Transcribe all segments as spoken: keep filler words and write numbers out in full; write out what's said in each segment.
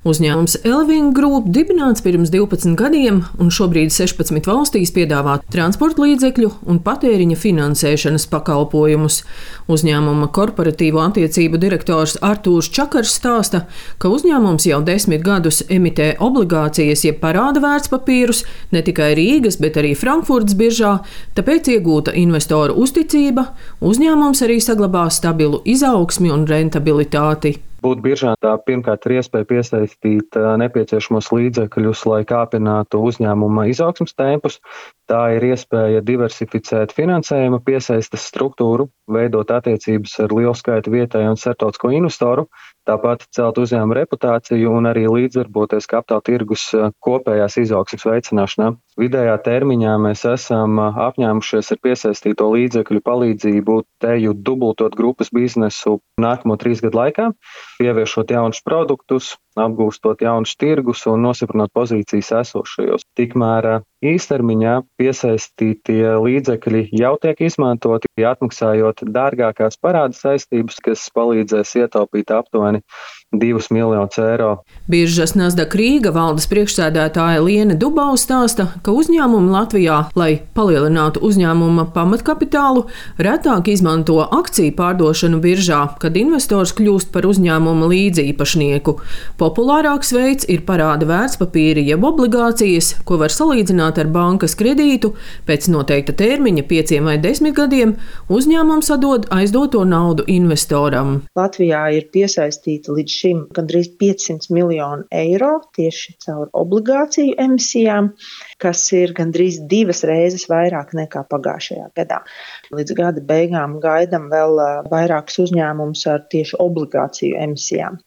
Uzņēmums Elving Group dibināts pirms divpadsmit gadiem un šobrīd sešpadsmit valstīs piedāvā transporta līdzekļu un patēriņa finansēšanas pakalpojumus. Uzņēmuma korporatīvo attiecību direktors Artūrs Čakars stāsta, ka uzņēmums jau desmit gadus emitē obligācijas jeb parāda vērtspapīrus ne tikai Rīgas, bet arī Frankfurtas biržā, tāpēc iegūta investoru uzticība, uzņēmums arī saglabā stabilu izaugsmi un rentabilitāti. Būt biržā tā pirmkārt ir iespēja piesaistīt nepieciešamos līdzekļus, lai kāpinātu uzņēmuma izaugsmes tempus. Tā ir iespēja diversificēt finansējuma piesaistes struktūru, veidot attiecības ar lielu skaitu vietēju un starptautisko investoru, tāpat celt uzņēmuma reputāciju un arī līdzdarboties kapitāla tirgus kopējās izaugsmes veicināšanā. Vidējā termiņā mēs esam apņēmušies ar piesaistīto līdzekļu palīdzību teju dubultot grupas biznesu nākamo trīs gadu laikā, ieviešot jaunus produktus, apgūstot jaunus tirgus un nosiprinot pozīcijas esošajos. Tikmēr īstermiņā piesaistītie līdzekļi jau tiek izmantoti, atmaksājot dārgākās parāda saistības, kas palīdzēs ietaupīt aptuveni divus miljonus eiro. Biržas Nasdaq Rīga valdes priekšsēdētāja Liene Dubau stāsta, ka uzņēmumi Latvijā, lai palielinātu uzņēmuma pamatkapitālu, retāk izmanto akciju pārdošanu biržā, kad investors kļūst par uzņēmuma līdziepašnieku. Populārāks veids ir parāda vērtspapīri jeb obligācijas, ko var salīdzināt ar bankas kredītu. Pēc noteikta termiņa, pieciem vai desmit gadiem, uzņēmums atdod aizdoto naudu investoram. Latvijā ir piesaistīta līdz šim gandrīz piecsimt miljonu eiro tieši caur obligāciju emisijām, kas ir gandrīz divas reizes vairāk nekā pagājušajā gadā. Līdz gada beigām gaidām vēl vairākus uzņēmumus ar tieši obligāciju emisijām.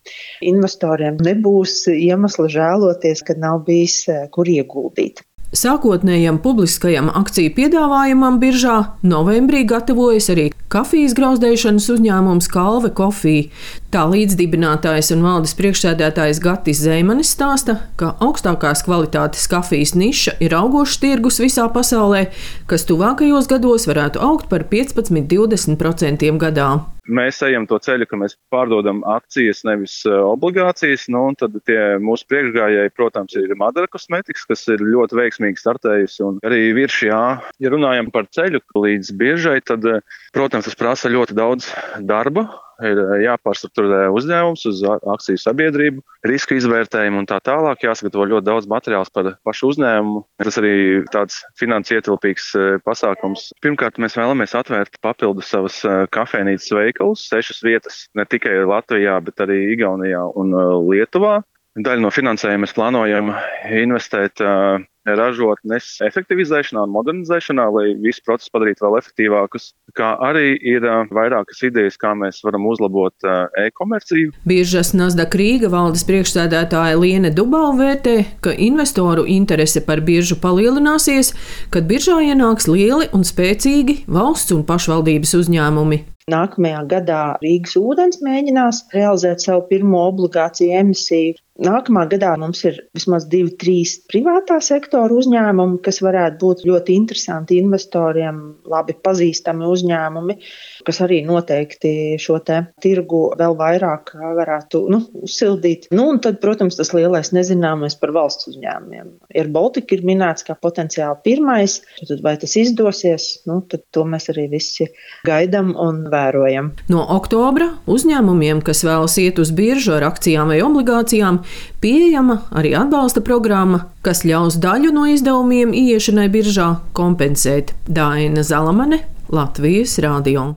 Investoriem nebūs iemesla žēloties, kad nav bijis kur ieguldīt. Sākotnējam publiskajam akciju piedāvājumam biržā novembrī gatavojas arī kafijas grauzdēšanas uzņēmums Kalve Coffee. Tā līdzdibinātājs un valdes priekšsēdētājs Gatis Zeimanis stāsta, ka augstākās kvalitātes kafijas niša ir augošs tirgus visā pasaulē, kas tuvākajos gados varētu augt par piecpadsmit līdz divdesmit procentiem gadā. Mēs ejam to ceļu, ka mēs pārdodam akcijas, nevis obligācijas, nu, un tad tie mūsu priekšgājēji, protams, ir Madara Cosmetics, kas ir ļoti veiksmīgi startējusi, un arī viršjā, ja runājam par ceļu līdz biržai, tad, protams, tas prasa ļoti daudz darba. Ir jāpārstrukturē uzņēmums uz akciju sabiedrību, riska izvērtējumu un tā tālāk. Jāsagatavo ļoti daudz materiāls par pašu uzņēmumu. Tas arī tāds finanses ietilpīgs pasākums. Pirmkārt, mēs vēlamies atvērt papildu savas kafejnīcas veikalus, sešas vietas, ne tikai Latvijā, bet arī Igaunijā un Lietuvā. Daļu no finansējuma mēs plānojam investēt ražotnes efektivizēšanā un modernizēšanā, lai visu procesu padarītu vēl efektīvākus, kā arī ir vairākas idejas, kā mēs varam uzlabot e-komerciju. Biržas Nasdaq Rīga valdes priekšsēdētāja Liene Dubau vērtē, ka investoru interese par biržu palielināsies, kad biržā ienāks lieli un spēcīgi valsts un pašvaldības uzņēmumi. Nākamajā gadā Rīgas ūdens mēģinās realizēt savu pirmo obligāciju emisiju. Nākamā gadā mums ir vismaz divi, trīs privātā sektora uzņēmumi, kas varētu būt ļoti interesanti investoriem, labi pazīstami uzņēmumi, kas arī noteikti šo te tirgu vēl vairāk varētu nu, uzsildīt. Nu, un tad, protams, tas lielais nezināmais par valsts uzņēmumiem. Air Baltica ir minēts kā potenciāli pirmais, tad vai tas izdosies, nu, tad to mēs arī visi gaidām un vērojam. No oktobra uzņēmumiem, kas vēlas iet uz biržu ar akcijām vai obligācijām, pieejama arī atbalsta programma, kas ļaus daļu no izdevumiem ieiešanai biržā kompensēt. Daina Zalamane, Latvijas radio.